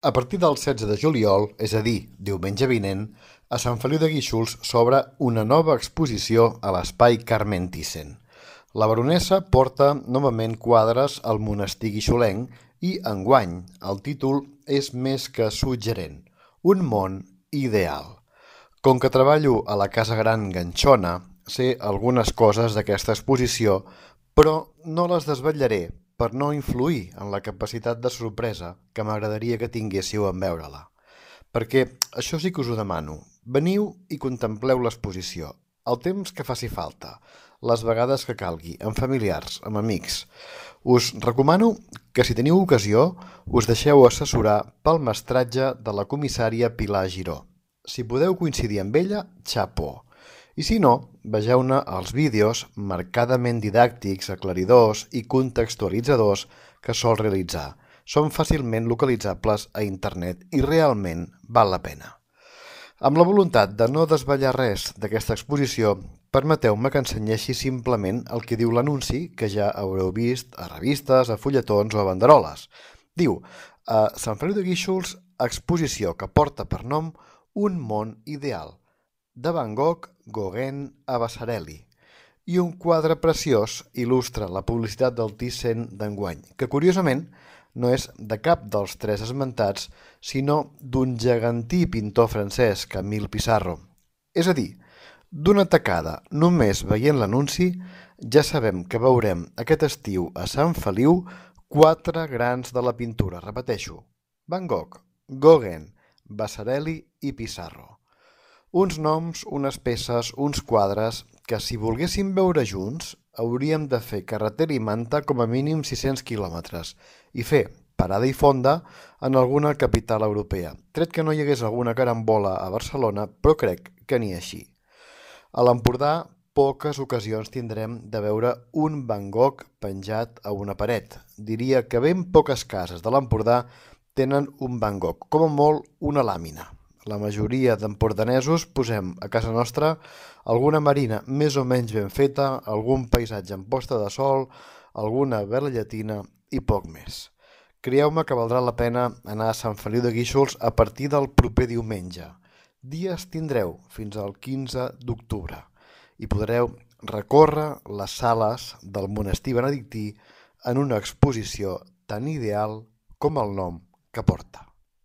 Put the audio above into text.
A partir del 16 de juliol, és a dir, diumenge vinent, a Sant Feliu de Guíxols s'obre una nova exposició a l'espai Carmen Thyssen. La baronessa porta novament quadres al monestir guixolenc i, enguany, el títol és més que suggerent: Un món ideal. Com que treballo a la Casa Gran Ganxona, sé algunes coses d'aquesta exposició, però no les desvetllaré per no influir en la capacitat de sorpresa que m'agradaria que tinguéssiu en veure-la. Perquè això sí que us ho demano. Veniu i contempleu l'exposició, el temps que faci falta, les vegades que calgui, amb familiars, amb amics. Us recomano que, si teniu ocasió, us deixeu assessorar pel mestratge de la comissària Pilar Giró. Si podeu coincidir amb ella, xapó. I si no, vegeu-ne els vídeos marcadament didàctics, aclaridors i contextualitzadors que sol realitzar. Són fàcilment localitzables a internet i realment val la pena. Amb la voluntat de no desvetllar res d'aquesta exposició, permeteu-me que ensenyeixi simplement el que diu l'anunci que ja haureu vist a revistes, a fulletons o a banderoles. Diu: a Sant Feliu de Guíxols, exposició que porta per nom Un món ideal, de Van Gogh, Gauguin a Vasarely. I un quadre preciós il·lustra la publicitat del Thyssen d'enguany, que curiosament no és de cap dels tres esmentats, sinó d'un gegantí pintor francès, Camille Pissarro. És a dir, d'una tacada, només veient l'anunci, ja sabem que veurem aquest estiu a Sant Feliu quatre grans de la pintura, repeteixo: Van Gogh, Gauguin, Vasarely i Pissarro. Uns noms, unes peces, uns quadres que, si volguéssim veure junts, hauríem de fer carretera i manta com a mínim 600 quilòmetres i fer parada i fonda en alguna capital europea, tret que no hi hagués alguna carambola a Barcelona, però crec que ni així. A l'Empordà, poques ocasions tindrem de veure un Van Gogh penjat a una paret. Diria que ben poques cases de l'Empordà tenen un Van Gogh, com a molt una làmina. La majoria d'empordanesos posem a casa nostra alguna marina més o menys ben feta, algun paisatge en posta de sol, alguna vela llatina i poc més. Creieu-me que valdrà la pena anar a Sant Feliu de Guíxols a partir del proper diumenge. Dies tindreu fins al 15 d'octubre i podreu recórrer les sales del monestir benedictí en una exposició tan ideal com el nom que porta.